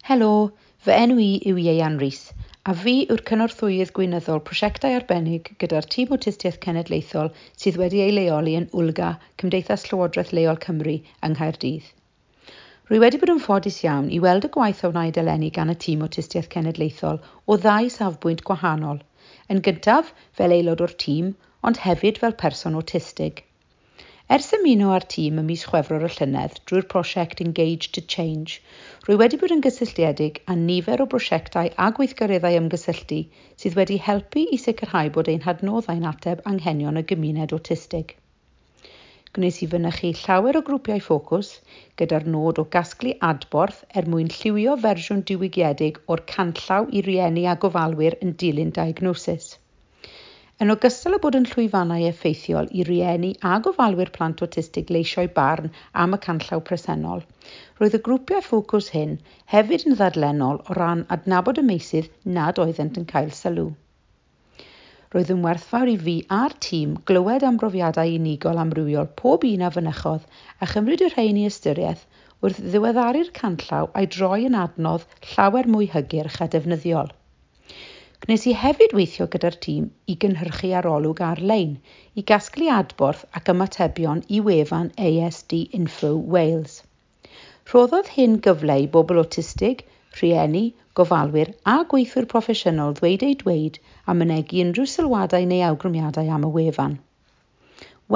Helo, fy enw i yw Ieuan Rees, a fi yw'r cynorthwyydd gweinyddol prosiectau arbennig gyda'r Tîm Awtistiaeth Cenedlaethol sydd wedi ei leoli yn WLGA, Cymdeithas Llywodraeth Leol Cymru yng Nghaerdydd. Rwy wedi bod yn ffodus iawn i weld y gwaith a wnaed eleni gan y Tîm Awtistiaeth Cenedlaethol o ddau safbwynt gwahanol. Yn gyntaf, fel aelod o'r tîm, ond hefyd fel person awtistig. Ers ymuno â'r tîm ym mis Chwefror y llynedd drwy'r prosiect Engage to Change, rwy wedi bod yn gysylltiedig â nifer o brosiectau a gweithgareddau ymgysylltu sydd wedi helpu i sicrhau bod ein hadnoddau'n ateb anghenion y gymuned awtistig. Gwnes i fynychu llawer o grwpiau ffocws gyda'r nod o gasglu adborth er mwyn lliwio fersiwn diwygiedig o'r canllaw i rieni a gofalwyr yn dilyn diagnosis. Yn ogystal â bod yn llwyfannau effeithiol i rieni a gofalwyr plant awtistig leisio'u barn am y canllaw presennol, roedd y grwpiau ffocws hyn hefyd yn ddadlennol o ran adnabod y meysydd nad oeddent yn cael sylw. Roedd yn werthfawr i fi a'r tîm glywed am brofiadau unigol amrywiol pob un a fynychodd a chymryd y rhain i ystyriaeth wrth ddiweddaru'r canllaw a'i droi yn adnodd llawer mwy hygyrch a defnyddiol. Gwnes i hefyd weithio gyda'r tîm i gynhyrchu arolwg ar-lein i gasglu adborth ac ymatebion i wefan ASD Info Wales. Rhoddodd hyn gyfle i bobl awtistig, rhieni, gofalwyr a gweithwyr proffesiynol ddweud eu dweud a mynegi unrhyw sylwadau neu awgrymiadau am y wefan.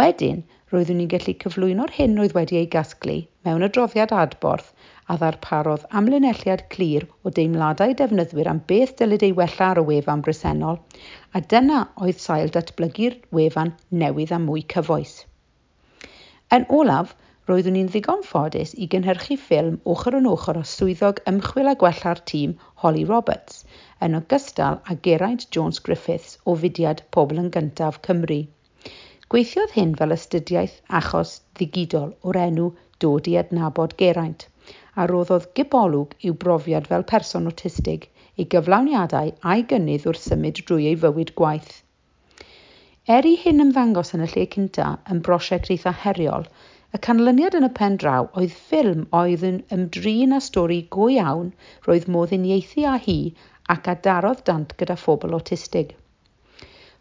Wedyn, roeddwn i'n gallu cyflwyno'r hyn oedd wedi ei gasglu mewn adroddiad adborth a ddarparodd amlinelliad clir o deimladau defnyddwyr am beth dylid ei wella ar y wefan bresennol, a dyna oedd sail datblygu'r wefan newydd a mwy cyfoes. Yn olaf, roeddwn i'n ddigon ffodus i gynhyrchu ffilm ochr yn ochr â swyddog ymchwil a gwella'r tîm Holly Roberts, yn ogystal â Geraint Jones Griffiths o fudiad Pobl yn Gyntaf Cymru. Gweithiodd hyn fel astudiaeth achos ddigidol o'r enw Dod i Adnabod Geraint, a roddodd gipolwg i'w brofiad fel person awtistig, ei gyflawniadau a'i gynnydd wrth symud drwy ei fywyd gwaith. Er i hyn ymddangos yn y lle cynta yn brosiect eitha heriol, y canlyniad yn y pen draw oedd ffilm oedd yn ymdrin â stori go iawn roedd modd uniaethu â hi ac a darodd dant gyda phobl awtistig.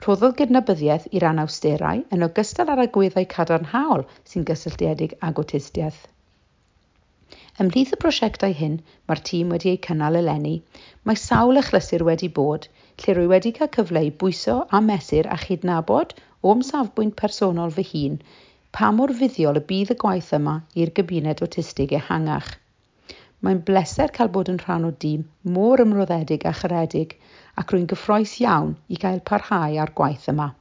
Rhoddodd gydnabyddiaeth i'r anawsterau yn ogystal â'r agweddau cadarnhaol sy'n gysylltiedig ag awtistiaeth. Ymhlith y prosiectau hyn mae'r tîm wedi eu cynnal eleni, mae sawl achlysur wedi bod lle rwy wedi cael cyfle i bwyso a mesur a chydnabod o'm safbwynt personol fy hun pa mor fuddiol y bydd y gwaith yma i'r gymuned awtistig ehangach. Mae'n bleser cael bod yn rhan o dîm mor ymroddedig a charedig ac rwy'n gyffrous iawn i gael parhau â'r gwaith yma.